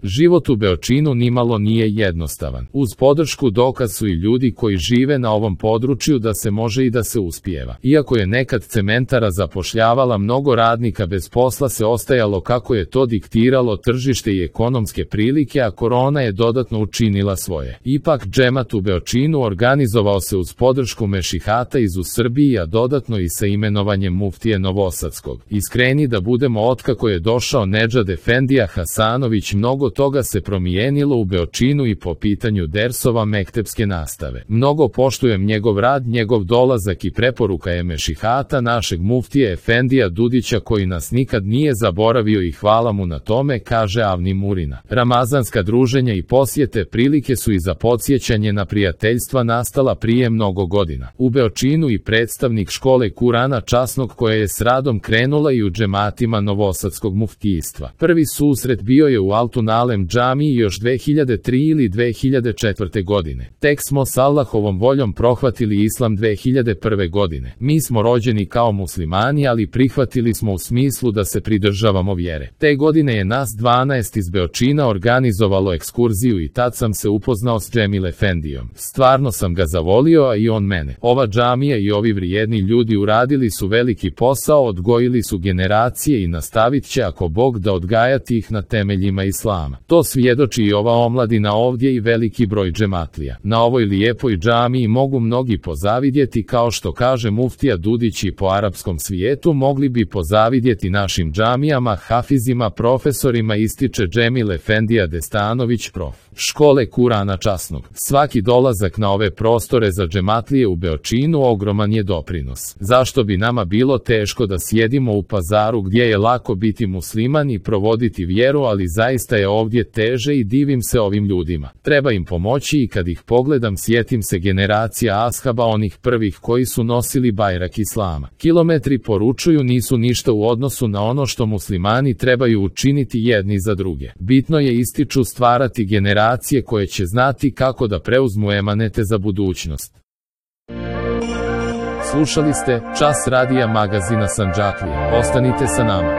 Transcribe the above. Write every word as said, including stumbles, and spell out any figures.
Život u Beočinu nimalo nije jednostavan. Uz podršku dokaz su i ljudi koji žive na ovom području da se može i da se uspijeva. Iako je nekad cementara zapošljavala mnogo radnika, bez posla se ostajalo kako je to diktiralo tržište i ekonomske prilike, a korona je dodatno učinila svoje. Ipak džemat u Beočinu organizovao se uz podršku mešihata iz u Srbiji, a dodatno i sa imenovanjem muftije Novosadskog. Iskreni da budemo, otkako je došao Nedžad Efendija Hasanović, mnogo toga se promijenilo u Beočinu i po pitanju dersova mektepske nastave. Mnogo poštujem njegov rad, njegov dolazak i preporuka je mešihata našeg muftije Efendija Dudića, koji nas nikad nije zaboravio i hvala mu na tome, kaže Avni Murina. Ramazanska druženja i posjete prilike su i za podsjećanje na prijateljstva nastala prije mnogo godina. U Beočinu i predstavnik škole Kurana časnog koja je s radom krenula i u džematima Novosadskog muftijstva. Prvi susret bio je u Altunalem džamiji još dve hiljade tri ili dve hiljade četvrte godine. Tek smo s Allahovom voljom prohvatili islam dve hiljade prve godine. Mi smo rođeni kao muslimani, ali prihvatili smo u smislu da se pridržavamo vjere. Te godine je nas dvanaest iz Beočina organizovalo ekskurziju i tad sam se upoznao s Džemil Efendijom. Stvarno sam ga zavolio, a i on mene. Ova džamija i ovi vrijedni ljudi uradili su veliki posao, odgojili su generacije i nastavit će, ako Bog da, odgajati ih na temeljima islama. To svjedoči i ova omladina ovdje i veliki broj džematlija. Na ovoj lijepoj džamiji mogu mnogi pozavidjeti, kao što kaže muftija Dudić, i po arapskom svijetu mogli bi pozavidjeti našim džamijama, hafizima, profesorima, ističe Džemil Efendija Destanović, prof. škole Kurana časnog. Svaki dolazak na ove prostore za džematlije u Beočinu ogroman je doprinos. Zašto bi nama bilo teško da sjedimo u Pazaru gdje je lako biti musliman i provoditi vjeru, ali zaista je ovdje teže i divim se ovim ljudima. Treba im pomoći i kad ih pogledam sjetim se generacija ashaba, onih prvih koji su nosili bajrak islama. Kilometri, poručuju, nisu ništa u odnosu na ono što muslimani trebaju učiniti jedni za druge. Bitno je, ističu, stvarati generacije koje će znati kako da preuzmu emanete za budućnost. Slušali ste Čas radija magazina Sandžaklija. Ostanite sa nama.